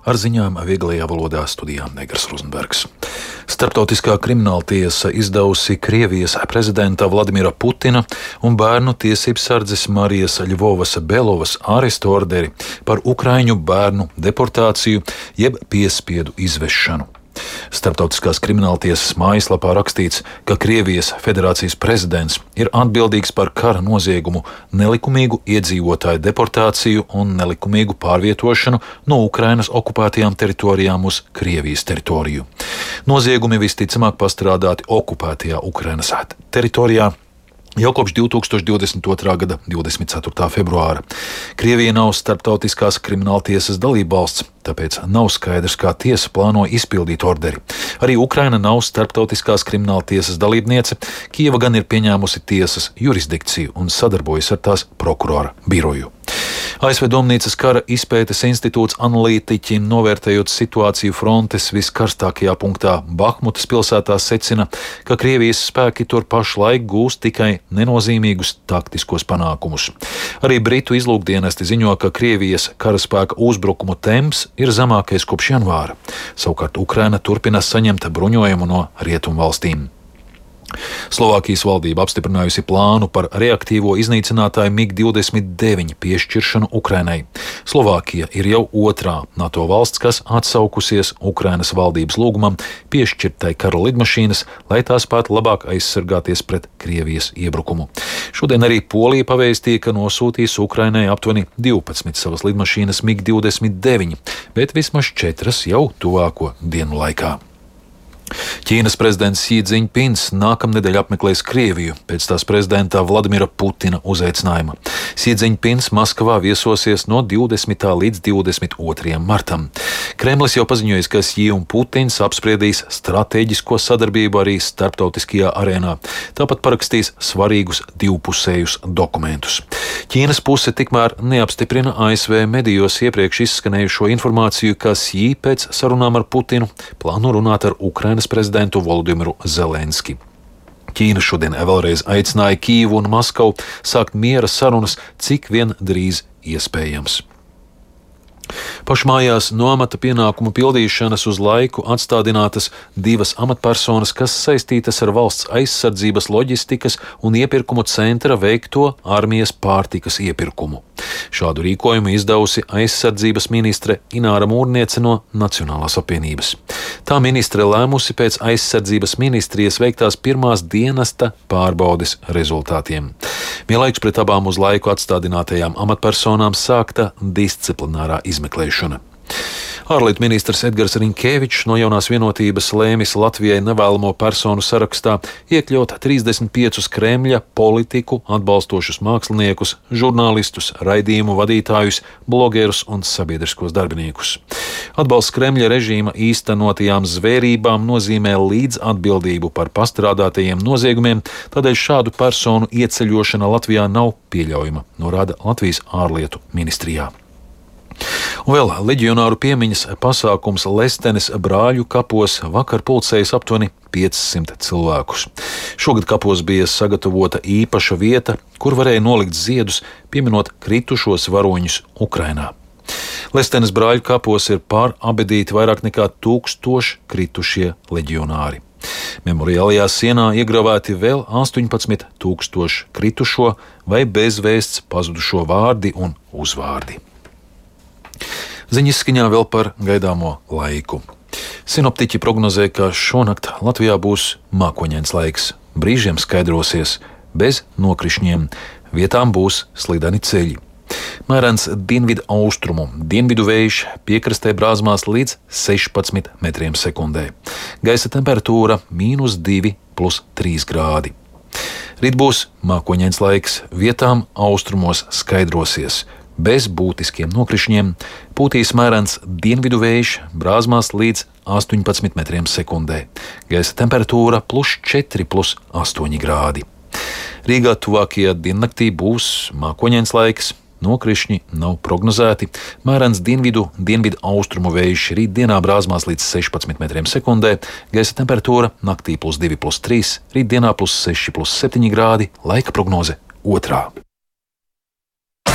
Ar ziņām vieglajā valodā studijā Negras Rozenbergs. Starptautiskā krimināltiesa izdevusi Krievijas prezidenta Vladimira Putina un bērnu tiesības sardzes Marijas Ļvovas Belovas arestu orderi par ukraiņu bērnu deportāciju jeb piespiedu izvešanu. Starptautiskās krimināltiesas mājaslapā rakstīts, ka Krievijas federācijas prezidents ir atbildīgs par kara noziegumu, nelikumīgu iedzīvotāju deportāciju un nelikumīgu pārvietošanu no Ukrainas okupētajām teritorijām uz Krievijas teritoriju. Noziegumi visticamāk pastrādāti okupētajā Ukrainas teritorijā jau kopš 2022. gada 24. februāra. Krievija nav starptautiskās krimināltiesas dalībvalsts, tāpēc nav skaidrs, kā tiesa plāno izpildīt orderi. Arī Ukraina nav starptautiskās krimināltiesas dalībniece, Kijeva gan ir pieņēmusi tiesas jurisdikciju un sadarbojas ar tās prokurora biroju. ASV Domnīcas kara izpētes institūts analītiķi, novērtējot situāciju frontes viskarstākajā punktā Bahmutas pilsētā, secina, ka Krievijas spēki tur pašlaik gūst tikai nenozīmīgus taktiskos panākumus. Arī Britu izlūkdienesti ziņo, ka Krievijas karaspēka uzbrukumu temps ir zemākais kopš janvāra. Savukārt Ukraina turpina saņemt bruņojumu no rietumvalstīm. Slovākijas valdība apstiprinājusi plānu par reaktīvo iznīcinātāju MiG-29 piešķiršanu Ukrainai. Slovākija ir jau otrā NATO valsts, kas atsaukusies Ukrainas valdības lūgumam piešķirtai kara lidmašīnas, lai tās spētu labāk aizsargāties pret Krievijas iebrukumu. Šodien arī Polija pavēstīja, ka nosūtīs Ukrainai aptuveni 12 savas lidmašīnas MiG-29, bet vismaz 4 jau tuvāko dienu laikā. Ķīnas prezidents Xi Jinpings nākamnedēļ apmeklēs Krieviju pēc tās prezidenta Vladimira Putina uzaicinājuma. Xi Jinpings Maskavā viesosies no 20. līdz 22. martam. Kremlis jau paziņojis, ka Xi un Putins apspriedīs stratēģisko sadarbību arī starptautiskajā arēnā. Tāpat parakstīs svarīgus divpusējus dokumentus. Ķīnas puse tikmēr neapstiprina ASV medijos iepriekš izskanējušo informāciju, ka Xi pēc sarunām ar Putinu plāno runāt ar Ukrainas prezidentu Volodimiru Zelenski. Ķīna šodien vēlreiz aicināja Kijevu un Maskavu sākt miera sarunas, cik vien drīz iespējams. Pašmājās no amata pienākumu pildīšanas uz laiku atstādinātas 2 amatpersonas, kas saistītas ar valsts aizsardzības loģistikas un iepirkumu centra veikto armijas pārtikas iepirkumu. Šādu rīkojumu izdevusi aizsardzības ministre Ināra Mūrniece no Nacionālās apvienības. Tā ministre lēmusi pēc aizsardzības ministrijas veiktās pirmās dienesta pārbaudes rezultātiem. Vienlaikus pret abām uz laiku atstādinātajām amatpersonām sākta disciplinārā izmeklēšana. Ārlietu ministrs Edgars Rinkēvičs no Jaunās vienotības lēmis Latvijai nevēlamo personu sarakstā iekļaut 35 Kremļa politiku atbalstošus māksliniekus, žurnālistus, raidījumu vadītājus, blogerus un sabiedriskos darbiniekus. Atbalsts Kremļa režīma īstenotajām zvērībām nozīmē līdzatbildību par pastrādātajiem noziegumiem, tādēļ šādu personu ieceļošana Latvijā nav pieļaujama, norāda Latvijas ārlietu ministrijā. Un vēl leģionāru piemiņas pasākums Lestenes brāļu kapos vakar pulcējas aptuveni 500 cilvēkus. Šogad kapos bija sagatavota īpaša vieta, kur varēja nolikt ziedus, pieminot kritušos varoņus Ukrainā. Lestenes brāļu kapos ir pārabedīti vairāk nekā 1000 kritušie leģionāri. Memoriālajā sienā iegravēti vēl 18,000 kritušo vai bezvēsts pazudušo vārdi un uzvārdi. Ziņas izskaņā vēl par gaidāmo laiku. Sinoptiķi prognozē, ka šonakt Latvijā būs mākoņains laiks. Brīžiem skaidrosies, bez nokrišņiem, vietām būs slideni ceļi. Mērens dienvidu austrumu, dienvidu vējš piekrastē brāzmās līdz 16 metriem sekundē. Gaisa temperatūra -2 + 3 grādi. Rīt būs mākoņains laiks, vietām austrumos skaidrosies. Bez būtiskiem nokrišņiem pūtīs mērens dienvidu vējš brāzmās līdz 18 metriem sekundē. Gaisa temperatūra +4 + 8 grādi. Rīgā tuvākajā diennaktī būs mākoņains laiks, nokrišņi nav prognozēti. Mērens dienvidu austrumu vējš rītdienā brāzmās līdz 16 metriem sekundē. Gaisa temperatūra naktī +2 + 3, rītdienā +6 + 7 grādi. Laika prognoze 2.